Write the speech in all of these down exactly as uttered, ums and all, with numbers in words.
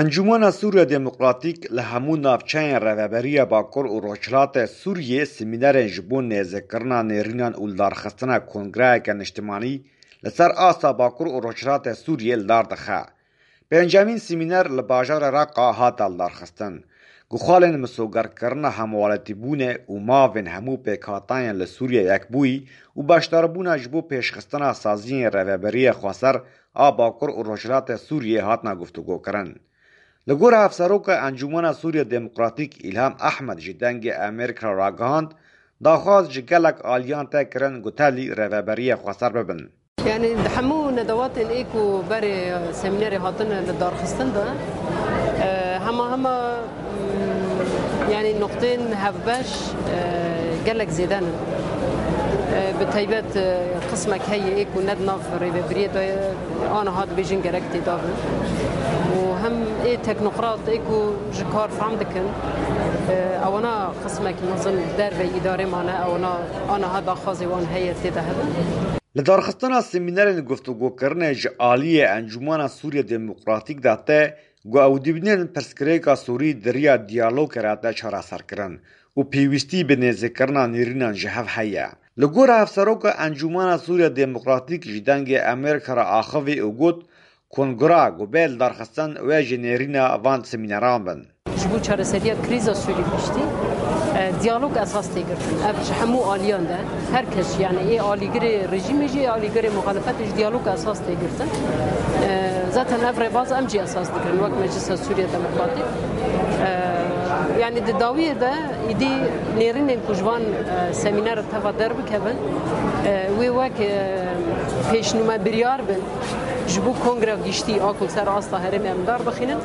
Encûmena Sûriya Demokratîk li hemû navçeyên Rêveberiya Bakur û Rojhilatê Sûriyê semînerên ji bo nêzîkkirina nêrînan û lidarxistina kongreyeke niştimanî li ser asta Bakur û Rojhilatê Sûriyê li dar dixe. Pêncemîn semîner li bajarê Reqa hate lidarxistin. Guxalên misogerkirina hemwelatîbûnê û mavên hemû pêkhateyên li Sûriyê yekbûyî û beşdarbûna ji bo pêşxistina saziyên Rêveberiya Xweser a Bakur û Rojhilatê Sûriyê hatina guftûgokirin. Li gor Hevseroka Encûmena Sûriya Demokratîk Îlham Ehmed ji Dengê Amerîka re ragihand, daxwaz ji gelek aliyan tê kirin ku tevlî Rêveberiya Xweser bibin. Yani di hemû nedewatên ê ku berê semînerê hatine li darxistin de, e, hema hema, mm, yani noqtên hevbeş, e, gelek zêde ne. E, bi taybet, e, qismek heye ê ku ne di nav rêvebiriyê de ye, aniha dibêjin gerek têda bin. Û hem ê teknokrat ê ku ji kar fehm dikin, e, ewana qismek mezin dervey îdarê mane, ewana aniha daxwazê wan heye tê de hebin. Li darxistina semînerên guftûgokirinê ji aliyê Encûmena Sûriya Demokratîk de tê ku ew dibînin pirsgirêka Sûrî di riya diyalogê re tê çareserkirin û pêwîstî bi nêzîkkirina nêrînan ji hev heye. Li gor Hevseroka Encûmena Sûriya Demokratîk ji Dengê Amerîka re axivî û got, kongra ku bê lidarxistin wê jî nêrîna van semîneran bin. Ji bo çareseriya krîza Sûrî piştî, e, diyalog esas tê girtin. Ev ji hemû aliyan de, her kes, yani ê alîgirê rejîmê jî, ê alîgirê muxalefetê jî diyalog esas tê girtin. E, zaten ev rêbaz em jî esas digirin wek Meclisa Sûriya Demokratîk. E, yani di dawiyê de îdî nêrînên ku ji van, e, semîner teva derbikevin, e, wê wek, e, pêşnûme biryar bin. Ji bo Kongreya Giştî a ku li ser asta herêmê em dar bixînin,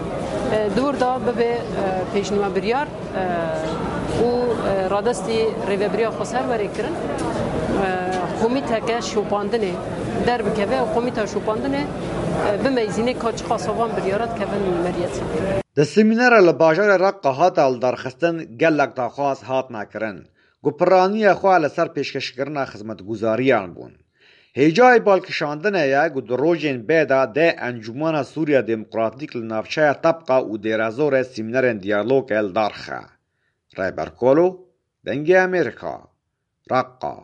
e, di wir de bibe, e, pêşnûme biryar, e, û, e, radestî Rêveberiya Xweser were kirin. E, komîteke şopandinê derbikeve û komîta şopandinê, e, bimeyzîne ka çiqasa van biryara dikevin meriyetê. Di semînera li bajarê Reqa hate lidarxistin gelek daxwaz hatine kirin ku piraniya xwe li ser pêşkêşkirina xizmetguzariyan bûn. Hêjayî balkişandinê ye ku di rojên bê de dê Encûmena Sûriya Demokratîk li navçeya Tebqa û Dêrezorê semînerên diyalogê li dar xe. Rêber Kolo, Dengê Amerîka, Reqa.